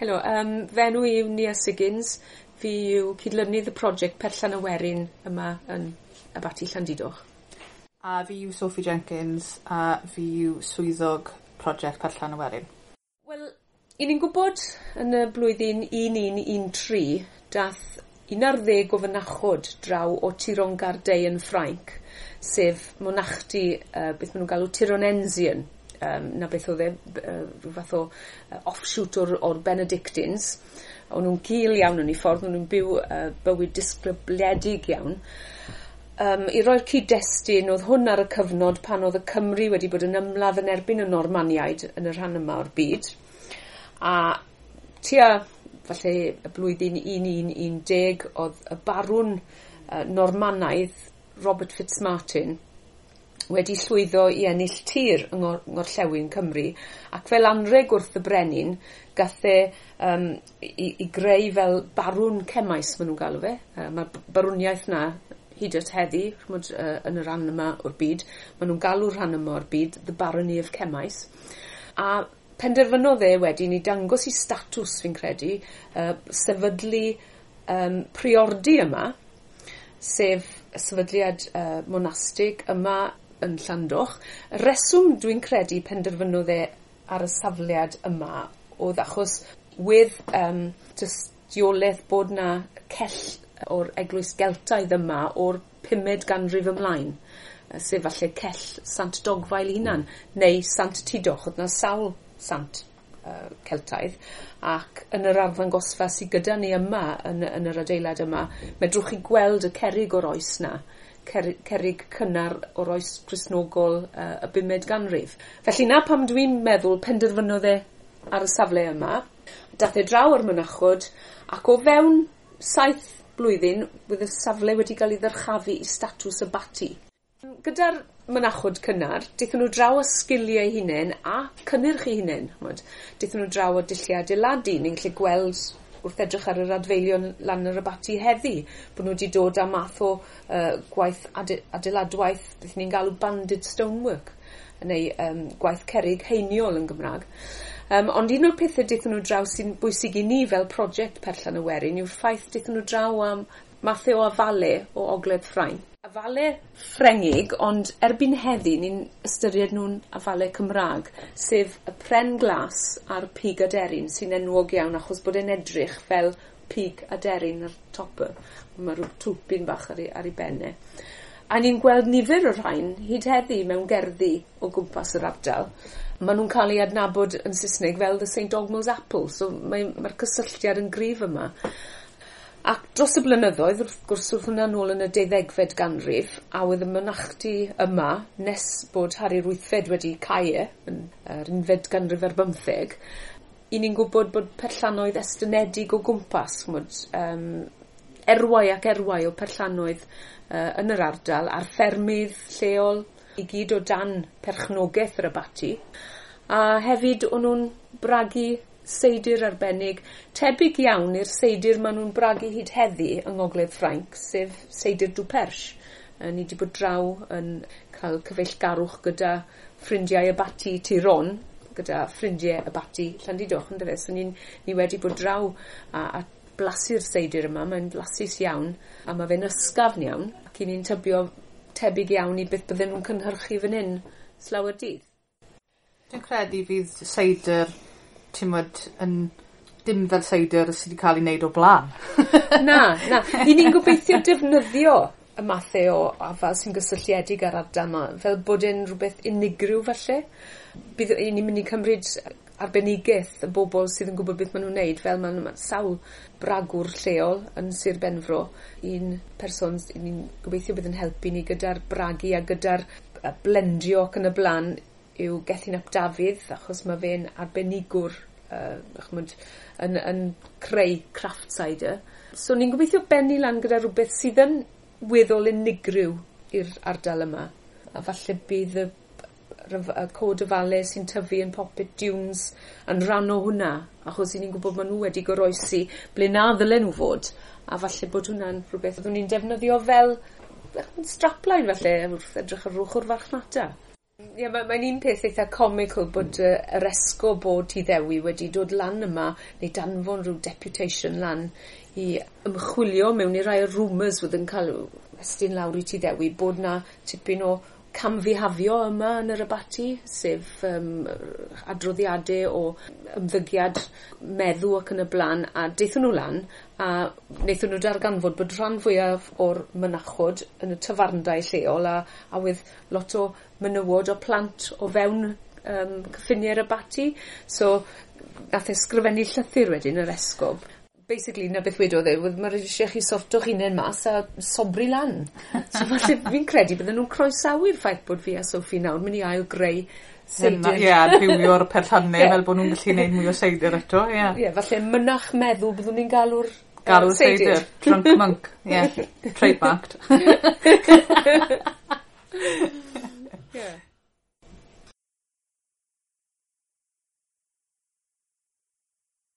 Helo, fy enw i yw Nia Siggins. Fi yw cydlynydd y prosiect Perllan y Werin yma yn Abaty Llandudoch. A fi yw Sophie Jenkins a fi yw swyddog prosiect Perllan y Werin. Wel, i ni'n gwybod yn y blwyddyn 1113 dath 11 o fynachod draw o Tiron Gardei yn Ffrainc, sef monachdy beth maen nhw'n galw Tironensian. Na beth oedd e, rhyw fath o offshoot o'r Benedictines. O'n nhw'n gul iawn yn eu ffordd, o'n nhw'n byw bywyd disgybledig iawn. I roi'r cyd-destun, oedd hwn ar y cyfnod pan oedd y Cymry wedi bod yn ymladd yn erbyn y Normaniaid yn y rhan yma o'r byd. A tua, falle, y blwyddyn 1110 oedd y barwn Normanaidd Robert Fitzmartin wedi llwyddo i ennill tir yng ngorllewin Cymru, ac fel anreg wrth y brenin gath e i greu fel barwn Cemais, maen nhw'n galw fe. Mae'r barwniaeth na hyd at heddi, ch'mod, yn y rhan yma o'r byd. Maen nhw'n galw'r rhan yma o'r byd The Barony of Cemais. A penderfynodd e wedyn i dangos i statws, fi'n credu, sefydlu priordy yma, sef y sefydliad monastig yma yn Llandoch. Y reswm dwi'n credu penderfynodd e ar y safliad yma oedd achos wedd tystiolaeth bod na cell o'r eglwys Geltaidd yma o'r 5fed ganrif ymlaen, sef falle cell Sant Dogfael hunan, neu Sant Tudoch. Oedd na sawl sant Celtaidd, ac yn yr arddangosfa sydd gyda ni yma, yn yr adeilad yma, medrwch chi gweld y cerrig o'r oes na, cerrig cynnar o'r oes Cristnogol y 5fed ganrif. Felly na pam dwi'n meddwl penderfynodd e ar y safle yma. Dath e draw o'r mynachod, ac o fewn 7 blwyddyn bydd y safle wedi cael ei ddyrchafu i statws abaty. Gyda'r mynachod cynnar, daethon nhw draw â sgiliau eu hunain a cynnyrch eu hunain. Ch'mod, daethon nhw draw â dulliau adeiladu. Ni'n gallu gweld wrth edrych ar yr adfeilion lan yr abaty heddi, bod nhw wedi dod â math o gwaith adeiladwaith, beth ni'n galw banded stonework, neu gwaith cerrig heiniol yn Gymraeg. Ond un o'r pethau daethon nhw draw sy'n bwysig i ni fel prosiect Perllan y Werin yw'r ffaith daethon nhw draw am mathau o afale o Ogledd Ffrainc. Afale Ffrengig, ond erbyn heddi ni'n ystyried nhw'n afale Cymraeg, sef y pren glas a'r pig aderyn sy'n enwog iawn achos bod e'n edrych fel pig aderyn ar top y. Mae rhyw twlpyn bach ar ei ben e. A ni'n gweld nifer o'r rhain hyd heddi mewn gerddi o gwmpas yr ardal. Maen nhw'n cael eu adnabod yn Saesneg fel the St Dogmael's Apple, so mae'r cysylltiad yn gryf yma. Ac dros y blynyddoedd, wrth gwrs, wrth hwnna nôl yn y 12fed ganrif, a oedd y mynachdy yma, nes bod Harri'r Wythfed wedi cau e, yn yr 11fed ganrif ar bymtheg, i ni'n gwybod bod perllanoedd estynedig o gwmpas, ch'mod, erwau ac erwau o perllanoedd yn yr ardal, a'r ffermydd lleol, i gyd o dan perchnogaeth yr abaty. A hefyd o'n nhw'n bragu seidir arbennig, tebyg iawn i'r seidir maen nhw'n bragu hyd heddi yng Ngogledd Ffrainc, sef seidir du Perche. Ni wedi bod draw yn cael cyfeillgarwch gyda ffrindiau abaty Tiron, gyda ffrindiau abaty Llandudoch, yndyfe? So ni wedi bod draw a blasu'r seidir yma, mae'n blasus iawn, a mae fe'n ysgafn iawn, ac i ni'n tybio tebyg iawn i beth bydden nhw'n cynhyrchu fan hyn slawer dydd. Dwi'n credu fydd seidr, ti'mod, yn dim fel seidr sydd wedi cael ei wneud o blaen. Na, na. I ni'n gobeithio defnyddio y mathau o afal sy'n gysylltiedig â'r ardal yma, fel bod e'n rhywbeth unigryw falle. Bydd i ni'n mynd i cymryd arbenigedd y bobl sydd yn gwybod beth maen nhw'n wneud, fel maen sawl bragwr lleol yn Sir Benfro, un person ni'n gobeithio bydd yn helpu ni gyda'r bragu a gyda'r blendio ac yn y blaen yw Gethin ap Dafydd, achos mae fe'n arbenigwr ch'mod, yn creu craft cider. So ni'n gobeithio bennu lan gyda rhywbeth sydd yn weddol unigryw i'r ardal yma. A falle bydd y cod afale sy'n tyfu yn Poppit Dunes yn rhan o hwnna, achos i ni'n gwybod maen nhw wedi goroesi ble na ddylen nhw fod, a falle bod hwnna'n rhywbeth oeddwn ni'n defnyddio fel strapline falle wrth edrych ar ochr farchnata. Ie, mae'n un peth eitha comical bod yr esgob o Tŷ Ddewi wedi dod lan yma neu danfon rhyw deputation lan i ymchwilio mewn i rai o'r rumours wedd yn cael estyn lawr i Tŷ Ddewi bod 'na tipyn o camfihafio yma yn yr abaty, sef adroddiade o ymddygiad meddw ac yn y bla'n, a daethon nhw lan a wnaethon nhw darganfod bod rhan fwyaf o'r mynachod yn y tafarndai lleol a wedd lot o menywod o plant o fewn cyffiniau'r abaty. So nath e sgrifennu llythyr wedyn yr esgob. Basically, 'na beth wedodd e, oedd ma' isie chi sorto'ch hunain mas a sobri lan. So falle fi'n credu bydden nhw'n croesawu'r ffaith bod fi a Sophie nawr mynd i ail greu seidr. Ie, a adfywio'r perllanne fel bod nhw'n gallu neud mwy o seidr eto, ie. Ie, falle mynach meddw byddwn ni'n galw'r Galw'r seidr. Drunk monk, ie. Trademarked.